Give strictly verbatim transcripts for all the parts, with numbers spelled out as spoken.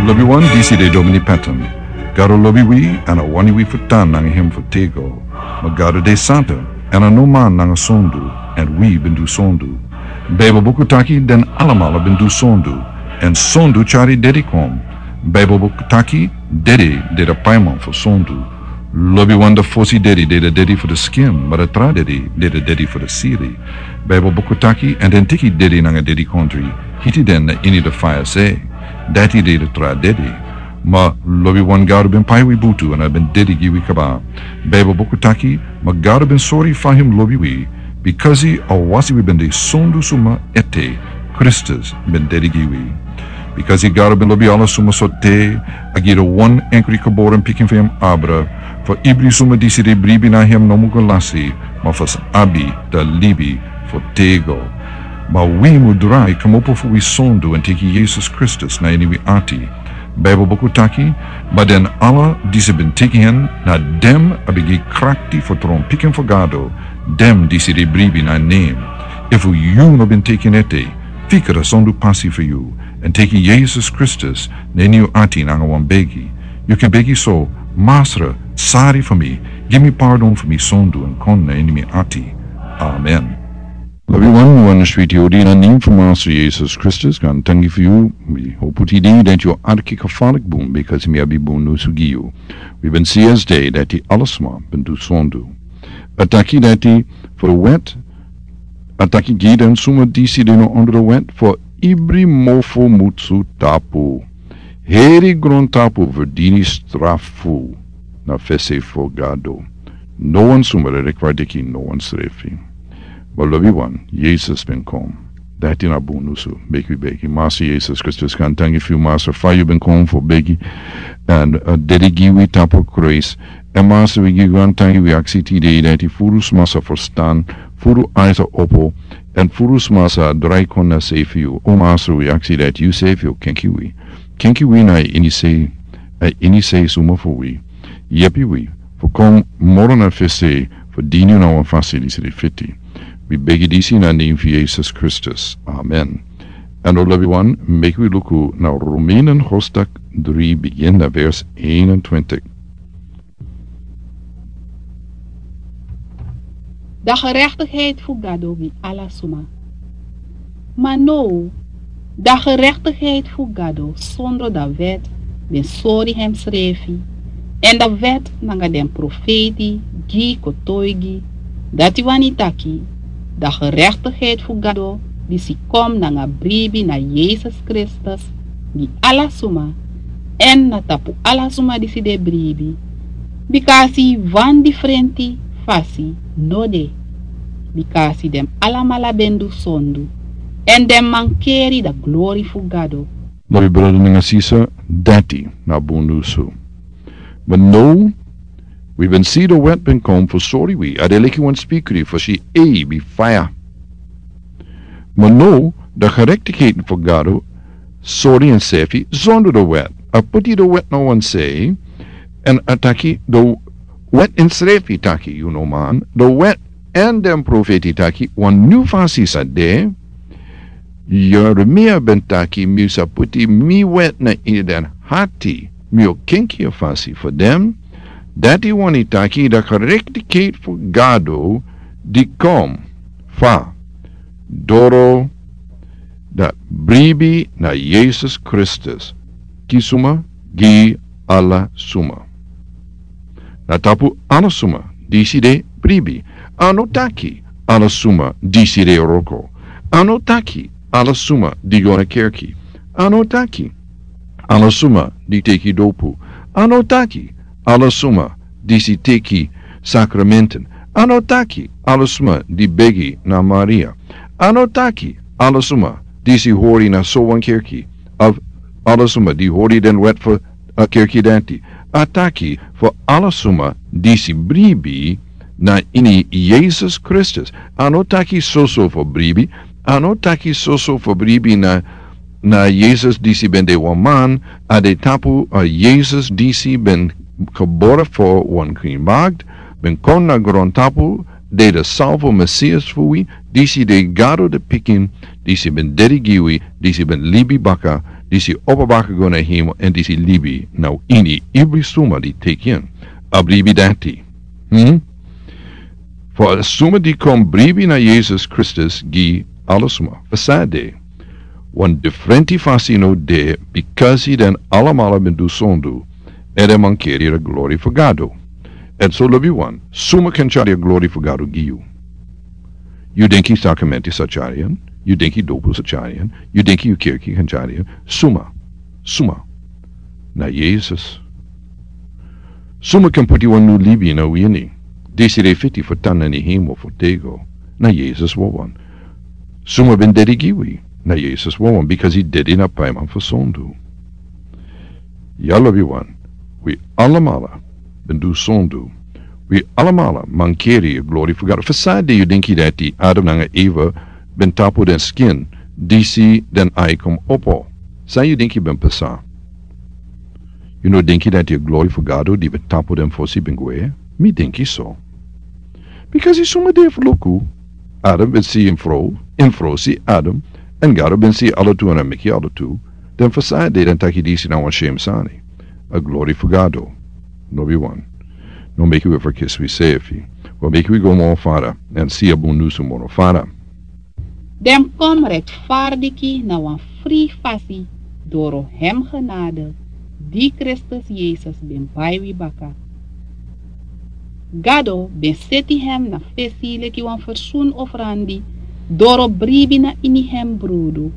Lobiwan, disi de Domini Patton. Gado lobi wi, èn a wani wi fu tan nanga hem fu tego. Ma Gado de santa, èn a no man nanga sondu, èn wi ben du sondu. Baibel buku taki den alamala ben du sondu, èn sondu tyari dedi kon. Baibel buku taki dedi de a paiman fu sondu. Lobiwan, a fosi dedi de a dedi fu a skin, ma a tra dedi de a dedi fu a sili. Baibel buku taki, èn den teki dedi nanga dedikondri, hiti den na ini a faya sei. Dati de a tra dedi. Ma lobiwan, Gado ben pai wi butu èn a ben dedi gi wi kaba. Baibel buku taki, ma Gado ben sori fa hem lobi wi, bikasi a wasi wi ben de sondu suma ete, Kristus ben dedi gi wi. Bikasi Gado ben lobi ala suma so te, a gi a wan enkri geboren pikin fu hem abra, fu ibri suma disi de bribi na hem no mu go lasi, ma fu sa abi a libi fu tego. Ma wi mu drai kmopo fu wi sondu èn teki Yesus Kristus na ini wi ati. Baibel buku taki, ma den ala disi ben teki hen, na den a ben gi krakti fu tron pikin fu Gado, den disi de bribi na nen. Efu yu no ben teki en ete, fika a sondu pasi fu yu, èn teki Yesus Kristus na ini yu ati nanga wan begi. Yu kan begi so: Masra, sori fu mi, gi mi pardon fu mi sondu èn kon na ini mi ati. Amen. Lobiwan, wan switi odi na nen fu Masra Yesus Kristus, gaantangi fu yu. Wi hopu tide dati yu arki kafalik bun, bikasi mi abi bun nusu gi yu. Wi ben si esde dati ala suma ben du sondu. A taki dati fu a wet, a taki gi den suma disi de na ondro a wet, fu ibri mofo musu tapu. Heri grontapu verdini strafu na fesi fu Gado. No wan suma e rekwardiki no wan srefi. Ma lobiwan, Yesus ben kon. Dati na bun nusu. Meki wi begi. Masra Yesus Kristus, gaantangi fu yu, Masra, fa yu ben kon fu begi èn, eh, dedi gi wi tapu kruis. Èn Masra, wi gi yu gaantangi, wi aksi tide dati furu suma sa ferstan, furu ai sa opo, èn furu suma sa drai kon na sei fu yu. O Masra, wi aksi dati yu srefi o kenki wi. Kenki wi na ini sei, eh, ini sei suma fu wi. Yepi wi fu kon moro na fesi fu dini yu na wan fasi disi de fiti. Wi begi disi na nen fu Yesus Kristus. Amen. Èn o lobiwan, meki wi luku na Romeinen hoofdstuk drie, begin na vers eenentwintig. Da gerechtigheid fu Gado gi ala suma. Ma now, da gerechtigheid fu Gado sondro da wet ben sori hemsrefi, èn da wet nanga den profeiti gi kotoigi, dati wani taki, da gerechtigheid fu Gado disi kon nanga bribi na Yesus Kristus gi ala suma, èn na tapu ala suma disi de bribi, bikasi wan difrenti fasi no de, bikasi den alamala ben du sondu, èn den mankeri da glori fu Gado. Lobi brada nanga sisa, dati na bun nusu. Ma now, wi ben si da wet ben kon fu sori wi, a de leki wan spikri fu si ei bi faya. Ma now, da gerechtigheid fu Gado sori ensrefi sondro da wet. A poti da wet na wan sei, èn a taki da wet ensrefi taki, yu no man, da wet èn den profeiti taki wan nyun fasi sa de. Yeremia ben taki, mi sa poti mi wet na ini den ati, mi o kenki a fasi fu den. Dati wani taki da gerechtigheid fu Gado di kon fa doro da bribi na Yesus Kristus. Gi suma? Gi ala suma. Na tapu ala suma disi de bribi. A no taki ala suma disi de wroko. A no taki ala suma di go na kerki. A no taki ala suma di teki dopu. A no taki ala suma disi teki sakramenten. A no taki ala suma di begi na Maria. A no taki ala suma disi hori na so wan kerki, of ala suma di hori den wet fu a kerki dati. A taki fu ala suma disi bribi na ini Yesus Kristus. A no taki soso fu bribi. A no taki soso fu bribi na, na Yesus disi ben de wan man. A de tapu a Yesus disi ben geboren fu wan krin magd, ben kon na grontapu, de de salvo Mesias fu wi, disi de Gado de pikin, disi ben dedi gi wi, disi ben libi baka, disi opo baka go na hemel èn disi libi na ini ibri suma di teki en a bribi dati. Hmm? Fu a suma di kon bribi na Yesus Kristus gi ala suma. Fu sade, wan difrenti fasi no de, bikasi den alamala ben du sondu, èn den mankeri a glori fu Gado. Èn so lobi wan, suma kan tyari a glori fu Gado gi yu? Yu denki sakramenti sa tyari en? Yu denki dopu sa tyari en? Yu denki yu kerki kan tyari en? Suma, suma? Na Yesus. Suma kan puti wan nu libi na wini? Disi de fiti fu tan na ni hemel fu tego. Na Yesus wawan. Suma ben dedi gi wi? Na Yesus wawan, bikasi a dedi na paiman fu sondu. Ya lobi wan, wi alamala ben du sondu. Wi alamala mankeri a glori fu Gado. Fu sade yu denki dati Adam nanga Eva ben tapu den skin, disi den ai kon opo? San yu denki ben pasa? Yu no denki dati a glori fu Gado di ben tapu den fosi ben gwe? Mi denki so. Bikasi suma de fu luku. Adam ben si en frow, en frow si Adam, èn Gado ben si ala tu èn a meki ala tu. Den fu sade den taki disi na wan shem sani. A glori fu Gado. No bi wan. No meki wi ferkisi wi sefi. Wan meki wi go moro fara èn si a bun nusu moro fara. Den kon rechtvaardig na wan fri fasi doro hem genade di Kristus Yesus ben bai wi baka. Gado ben seti hem na fesi leki wan fersoenofferandi doro bribi na ini hem brudu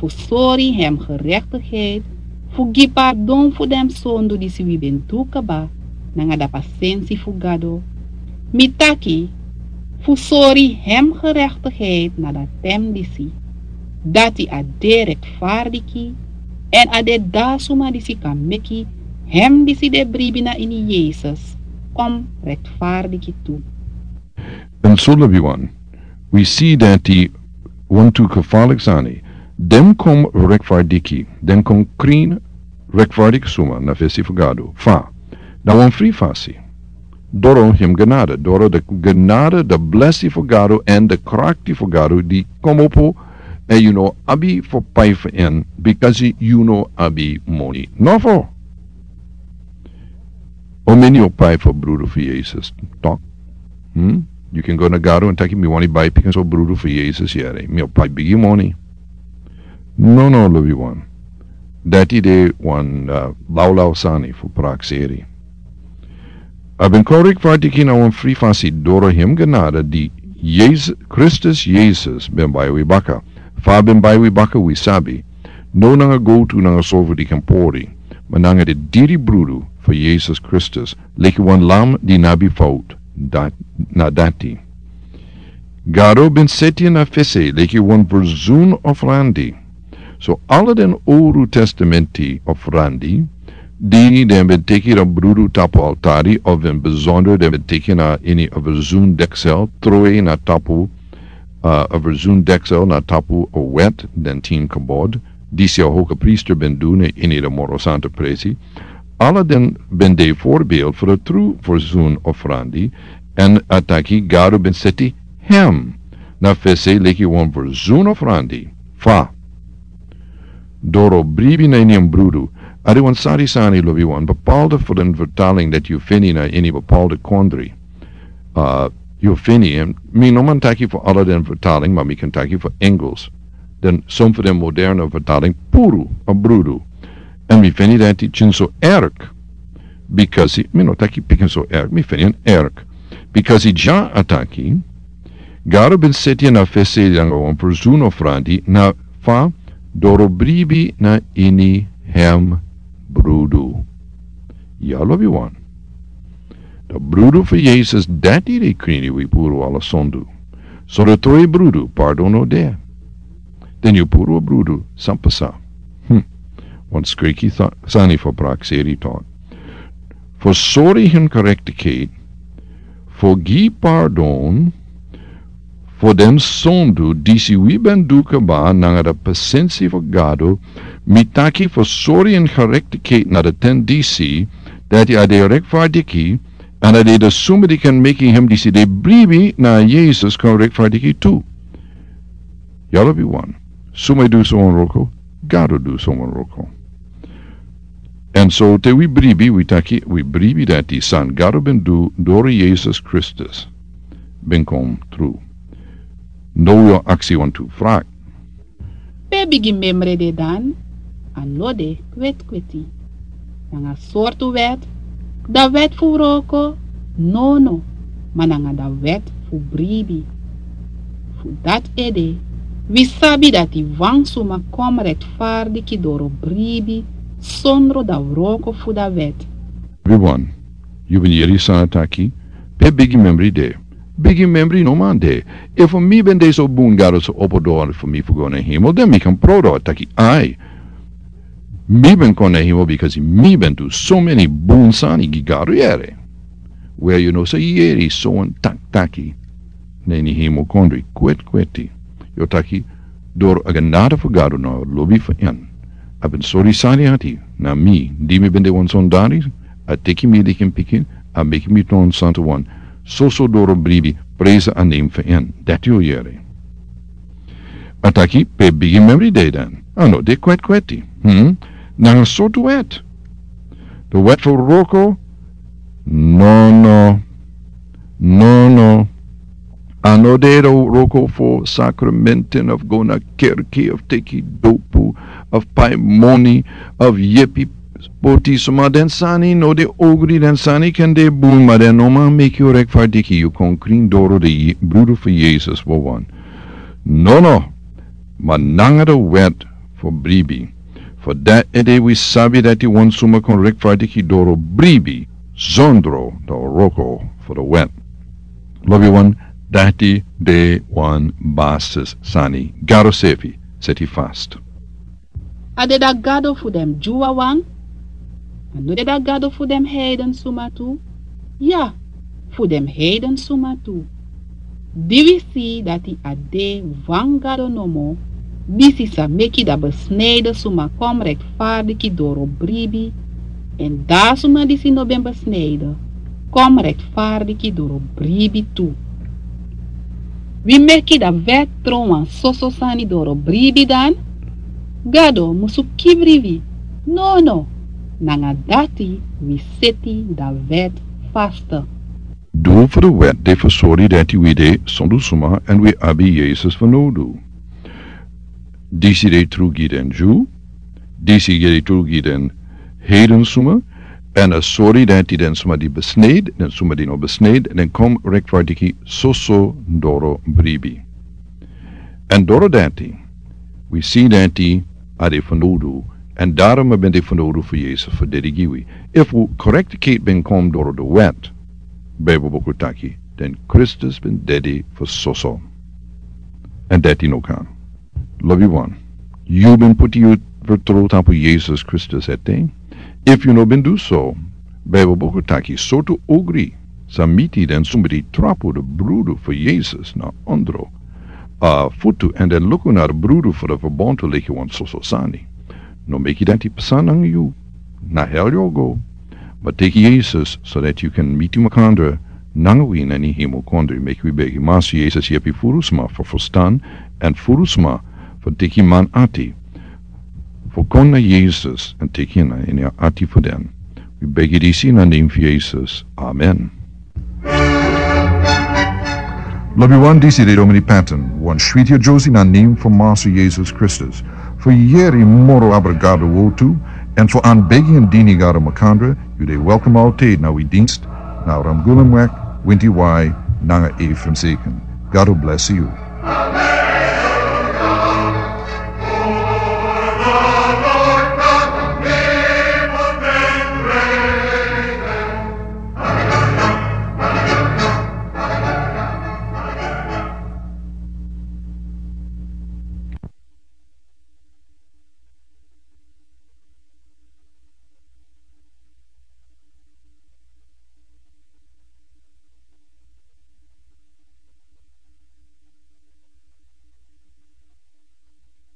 fu sori hem gerechtigheid, fu gi pardon fu den sondu disi wi ben du kaba nanga da pasensi fu Gado. Mi taki fu sori hem gerechtigheid na da tem disi, dati a de rechtvaardig èn a de da suma disi kan meki hem disi de bribi na ini Yesus kon rechtvaardig tu. Èn so lobi wan, wi si dati wantu kefalik sani, den kon rechtvaardig, den kon krin rechtvaardig suma na fesi fu Gado. Fa? Na wan fri fasi. Doro hem genade, doro da genade, da blesi fu Gado èn da krakti fu Gado di kon opo, èn yu no abi fu pai fu en, bikasi yu no abi moni. Nofo. O meni o pai fu brudu fu Yesus. Tok. Hmm? Yu kan go na Gado èn taki mi wani bai pikinso brudu fu Yesus yere. Mi o pai bigi moni. No, no, lobi wan. Dati de wan, uh, lawlaw sani fu prakseri. A ben kon rechtvaardig na wan fri fasi doro hem genade di Yesus, Kristus Yesus ben bai wi baka. Fa a ben bai wi baka wi sabi. No nanga gowtu nanga sorfu di kan pori, ma nanga de diri brudu fu Yesus Kristus, leki wan lam di no abi fout, dat, na dati. Gado ben seti en na fesi leki wan fersoenofferandi. So ala den Owru Testamenti offerandi, di den ben teki na brudu tapu altari, of den besonder den ben teki na ini a fersoendeksel, trowe na tapu, uh, a fersoendeksel na tapu a wet, den tin kabod, disi a hogepriester ben du na ini de moro santa presi. Ala den ben de voorbeeld fu de tru fersoenofferandi, èn a taki Gado ben seti hem na fesi leki wan fersoenofferandi. Fa? Doro bribi na ini en brudu. A de wan sari sani lobi wan, bepaalde fu den vertaling dati yu feni na ini bepaalde kondri. Uh, yu feni en, mi no man taki fu ala den vertaling, ma mi kan taki fu Engels. Den, son fu den moderne vertaling, puru a brudu. Èn mi feni dati pikinso erk. Bikasi, mi no taki pikinso erk, mi feni en erk. Bikasi dya a taki, Gado ben seti en na fesi nanga wan fersoenofferandi na fa? Doro bribi na ini hem brudu. Ya lobi wan. Da brudu fu Yesus dati de krin wi puru ala sondu. So da trowe brudu pardon no de. Den yu puru a brudu san pasa. Hmm. Wan skriki sa-, sani fu prakseri tok. Fu sori hem gerechtigheid, fu gi pardon fu den sondu disi wi ben du kaba nanga da pasensi fu Gado, mi taki fu sori hem gerechtigheid na da ten disi, dati a de rechtvaardig, èn a de da suma di kan meki hem disi de bribi na Yesus kon rechtvaardig tu. Ya lobi wan. Suma e du so wan wroko? Gado du sowan wroko. Èn so te wi bribi, wi taki wi bribi dati san Gado ben du doro Yesus Kristus ben kon tru. Now wi o aksi wantu fraki. Pe bigi memre de dan? A no de kwetkweti. Nanga sortu wet, da wet fu wroko? Nono, ma nanga da wet fu bribi. Fu dati ede wi sabi dati wan suma kon rektfardiki doro bribi sondro da wroko fu da wet. Everyone, yu ben yeri san a taki? Pe bigi memre de? Bigi memre no man de. Efu mi ben de so bun Gado sa opo doro fu mi fu go na hemel, dan mi kan prudu taki ai, mi ben kon na hemel bikasi mi ben du so meni bun sani gi Gado yere. Wel, yu no sa yeri sowan taki taki na ini hemel kondre kwetkweti. Yu o taki doro a genade fu Gado nanga lobi fu en, a ben sori sani ati na mi di mi ben de wan sondari, a teki mi leki en pikin, a meki mi turn santu wan. Soso doro bribi, presi a nen fu en. Dati yu o yere. A taki pe bigi memre de dan? A no de kwetkweti. Hmm? Nanga sortu wet? Da wet fu wroko? Nono. Nono. A no de da wroko fu sakramenten of go na kerki of teki dopu of pai moni of yepi poti suma. Den sani no de ogri, den sani kan de bun, ma den no man meki yu rektfardiki. Yu kon krin doro de brudu fu Yesus wawan. Nono, ma nanga da wet fu bribi. Fu dati ede wi sabi dati wan suma kon rektfardiki doro bribi sondro da wroko fu da wet. Lobi wan, dati de wan basis sani. Gado sefi seti fast. A de da Gado fu den Dyu wawan? A no de da Gado fu den heiden suma tu? Ya, fu den heiden suma tu. Di wi si dati a de wan Gado nomo, disi sa meki da besneden suma kon rektfardiki doro bribi, èn da suma disi no ben besneden kon rektfardiki doro bribi tu. Wi meki da wet tron wan soso sani doro bribi dan? Gado musu kibri wi? Nono, nanga dati wi seti da wet fast. Doel fu da wet de fu sori dati wi de sondu suma èn wi abi Yesus fanowdu. Disi de tru gi den Dyu, disi de tru gi den heiden suma, èn a sori dati den suma di besneden, den suma di no besneden, den kon rektfardiki soso doro bribi. Èn doro dati wi si dati a de fanowdu, èn daarom a ben de fanowdu fu Yesus fu dedi gi wi. Efu korektikiet ben kon doro da wet, Bijbel buku taki, dan Kristus ben dedi fu soso. Èn dati no kan. Lobi wan, yu ben poti yu fertrow tapu Yesus Kristus ete? Efu yu no ben du so, Bijbel buku taki sortu ogri sa miti den suma di trapu da brudu fu Yesus na ondro a futu èn den luku na da brudu fu da ferbontu leki wan soso sani. No meki dati pasa nanga yu. Na hel yu o go. Ma teki Yesus so dati yu kan miti makandra nanga wi na ini hemel kondre. Meki wi begi: Masa Yesus, yepi furu sma fu ferstan èn furu sma fu teki man ati fu kon na Yesus èn teki en na ini a ati fu den. Wi begi disi na nen fu Yesus. Amen. Lobi wan, disi de Domini Patton, wan switi a Josi na nen fu Masa Yesus Kristus. Fu yere moro abra Gado wortu, èn fu anbegi èn dini Gado makandra, yu de welkom altijd na wi dienst na Ramgulumweg, Winti Wai, nanga Efrem Seken. Gado bless yu.